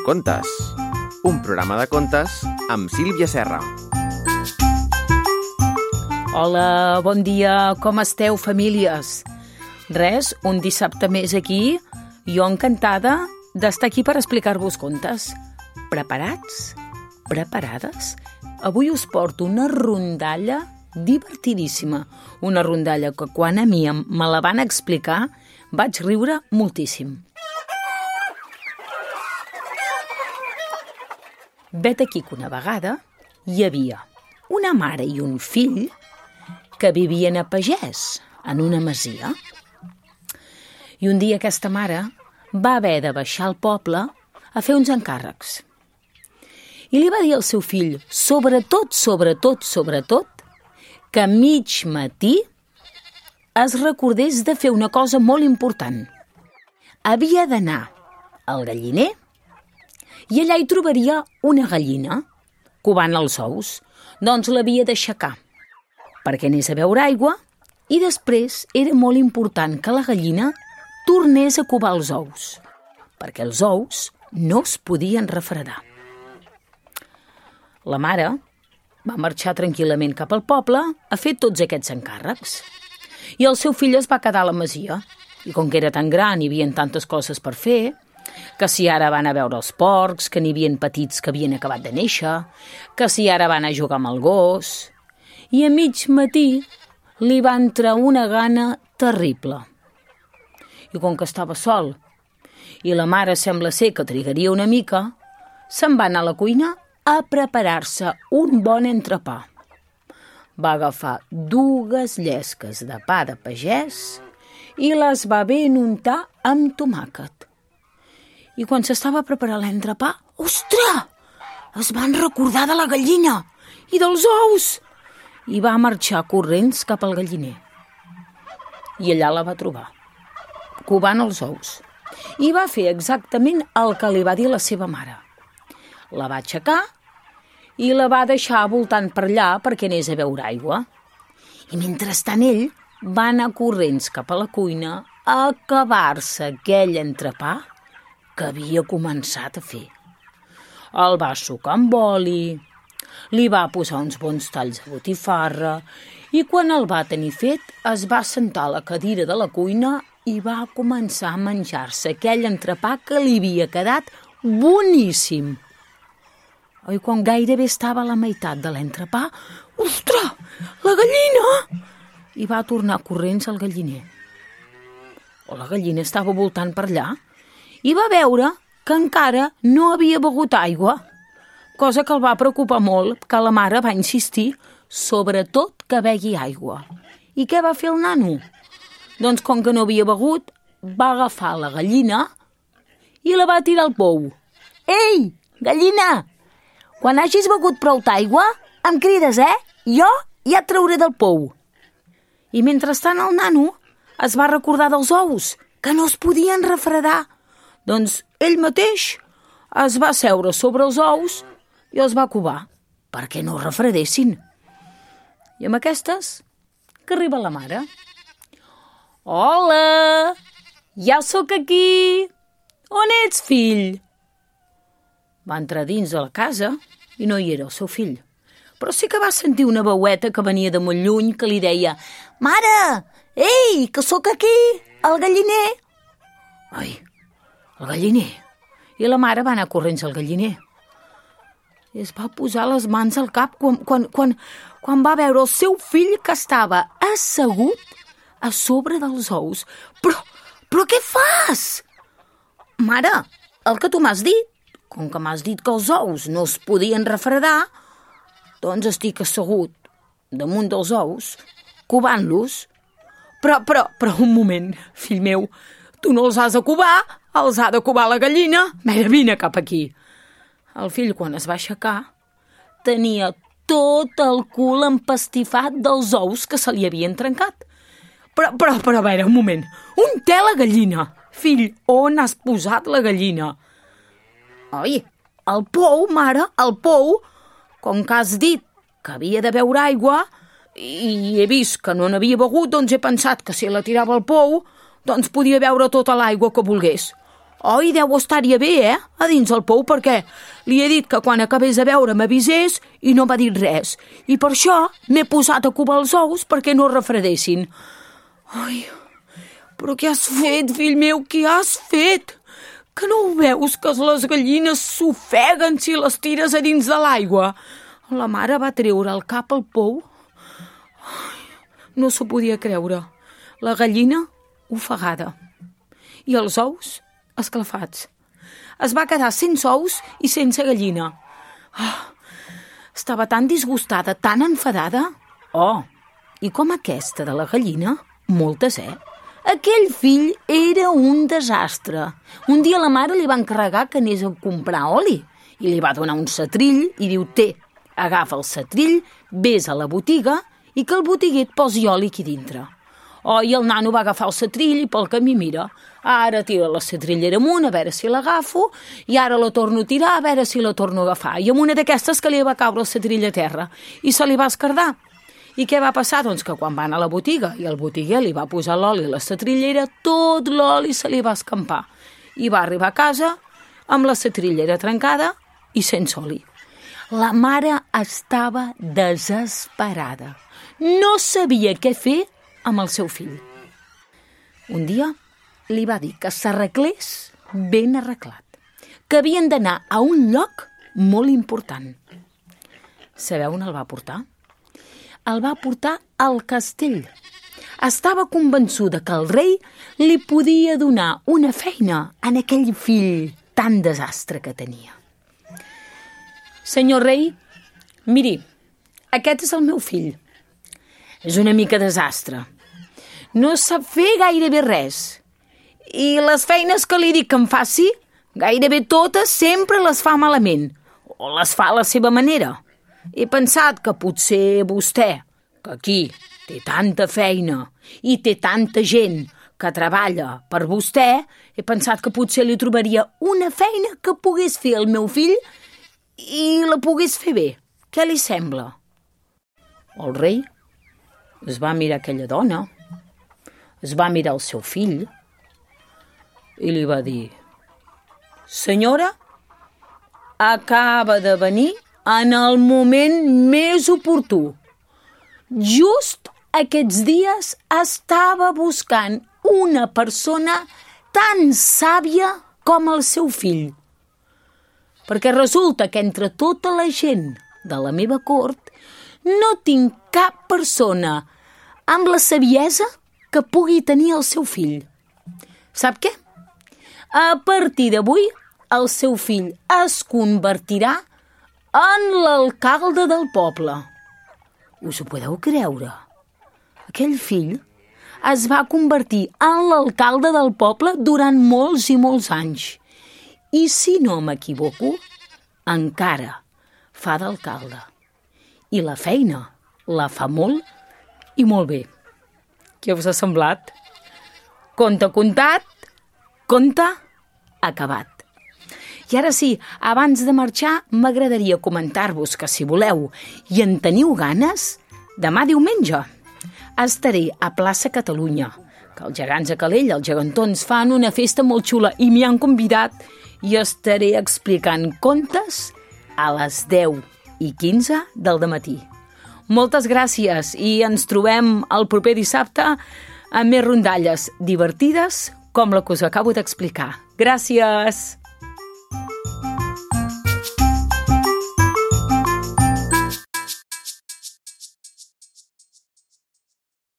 Contes, un programa de contes amb Sílvia Serra. Hola, bon dia, com esteu, famílies? Res, un dissabte més aquí, jo encantada d'estar aquí per explicar-vos contes. Preparats? Preparades? Avui us porto una rondalla divertidíssima, una rondalla que quan a mi me la van explicar vaig riure moltíssim. Vet aquí que una vegada hi havia una mare i un fill que vivien a pagès, en una masia. I un dia aquesta mare va haver de baixar al poble a fer uns encàrrecs. I li va dir al seu fill, sobretot, que a mig matí es recordés de fer una cosa molt important. Havia d'anar al galliner i allà hi trobaria una gallina covant els ous. Doncs l'havia d'aixecar perquè anés a beure aigua i després era molt important que la gallina tornés a covar els ous, perquè els ous no es podien refredar. La mare va marxar tranquil·lament cap al poble a fer tots aquests encàrrecs. I el seu fill es va quedar a la masia. I com que era tan gran i hi havia tantes coses per fer, que si ara van a veure els porcs, que n'hi havia petits que havien acabat de néixer, que si ara van a jugar amb el gos. I a mig matí li va entrar una gana terrible. I com que estava sol i la mare sembla ser que trigaria una mica, se'n va anar a la cuina a preparar-se un bon entrepà. Va agafar 2 llesques de pa de pagès i les va ben untar amb tomàquet. I quan s'estava preparant l'entrepà, ostres! Es van recordar de la gallina i dels ous! I va marxar corrents cap al galliner. I allà la va trobar, covant els ous. I va fer exactament el que li va dir la seva mare. La va aixecar i la va deixar voltant per allà perquè anés a beure aigua. I mentrestant ell va anar corrents cap a la cuina a acabar-se aquell entrepà que havia començat a fer. El va sucar amb oli, li va posar uns bons talls de botifarra i quan el va tenir fet es va sentar a la cadira de la cuina i va començar a menjar-se aquell entrepà que li havia quedat boníssim. I quan gairebé estava a la meitat de l'entrepà, ostres, la gallina! I va tornar corrents al galliner. La gallina estava voltant per allà i va veure que encara no havia begut aigua, cosa que el va preocupar molt, que la mare va insistir, sobretot que begui aigua. I què va fer el nano? Doncs com que no havia begut, va agafar la gallina i la va tirar al pou. Ei, gallina, quan hagis begut prou d'aigua, em crides, Jo ja et trauré del pou. I mentrestant el nano es va recordar dels ous, que no es podien refredar. Doncs ell mateix es va seure sobre els ous i els va covar perquè no refredessin. I amb aquestes que arriba la mare. Hola, ja sóc aquí. On ets, fill? Va entrar dins de la casa i no hi era el seu fill. Però sí que va sentir una veueta que venia de molt lluny que li deia «Mare, ei, que sóc aquí, al galliner!» Ai, el galliner. I la mare va anar corrents al galliner. I es va posar les mans al cap quan va veure el seu fill que estava assegut a sobre dels ous. Però què fas? Mare, el que tu m'has dit, com que m'has dit que els ous no es podien refredar, doncs estic assegut damunt dels ous, covant-los. Però un moment, fill meu, tu no els has de covar, els ha de covar la gallina. Mira, vine cap aquí. El fill, quan es va aixecar, tenia tot el cul empastifat dels ous que se li havien trencat. Però, a veure, un moment. On té la gallina? Fill, on has posat la gallina? Oi, al pou, mare, al pou. Com que has dit que havia de beure aigua i he vist que no n'havia begut, doncs he pensat que si la tirava al pou, doncs podia beure tota l'aigua que volgués. Oi, deu estar-hi bé, a dins el pou, perquè li he dit que quan acabés de veure m'avisés i no m'ha dit res. I per això m'he posat a covar els ous perquè no es refredessin. Ai, però què has fet, fill meu, què has fet? Que no ho veus que les gallines s'ofeguen si les tires a dins de l'aigua? La mare va treure el cap al pou. Ai, no s'ho podia creure. La gallina ofegada i els ous esclafats. Es va quedar sense ous i sense gallina. Estava tan disgustada, tan enfadada. I com aquesta de la gallina, moltes, Aquell fill era un desastre. Un dia la mare li va encarregar que anés a comprar oli i li va donar un setrill i diu: agafa el setrill, vés a la botiga i que el botiguer et posi oli aquí dintre. I el nano va agafar el setrill i pel camí mira. Ara tira la setrillera amunt a veure si l'agafo i ara la torno a tirar a veure si la torno a agafar. I amb una d'aquestes que li va caure el setrill a terra i se li va esquerdar. I què va passar? Doncs que quan va anar a la botiga i el botiguer li va posar l'oli a la setrillera, tot l'oli se li va escampar. I va arribar a casa amb la setrillera trencada i sense oli. La mare estava desesperada. No sabia què fer amb el seu fill. Un dia li va dir que s'arreglés ben arreglat, que havien d'anar a un lloc molt important. Sabeu on el va portar? El va portar al castell. Estava convençuda que el rei li podia donar una feina en aquell fill tan desastre que tenia. Senyor rei, miri, aquest és el meu fill. És una mica desastre. No sap fer gairebé res. I les feines que li dic que em faci, gairebé totes sempre les fa malament. O les fa a la seva manera. He pensat que potser vostè, que aquí té tanta feina i té tanta gent que treballa per vostè, he pensat que potser li trobaria una feina que pogués fer el meu fill i la pogués fer bé. Què li sembla? El rei es va mirar aquella dona, es va mirar el seu fill i li va dir: senyora, acaba de venir en el moment més oportú. Just aquests dies estava buscant una persona tan sàvia com el seu fill. Perquè resulta que entre tota la gent de la meva cort no tinc cap persona amb la saviesa que pugui tenir el seu fill. Sap què? A partir d'avui, el seu fill es convertirà en l'alcalde del poble. Us ho podeu creure? Aquell fill es va convertir en l'alcalde del poble durant molts i molts anys. I si no m'equivoco, encara fa d'alcalde. I la feina la fa molt i molt bé. Què us ha semblat? Conte contat, conte acabat. I ara sí, abans de marxar, m'agradaria comentar-vos que si voleu i en teniu ganes, demà diumenge estaré a Plaça Catalunya, que els gegants a Calella, els gegantons, fan una festa molt xula i m'hi han convidat i estaré explicant contes a les 10:15 del dematí. Moltes gràcies i ens trobem el proper dissabte amb més rondalles divertides com la que us acabo d'explicar. Gràcies!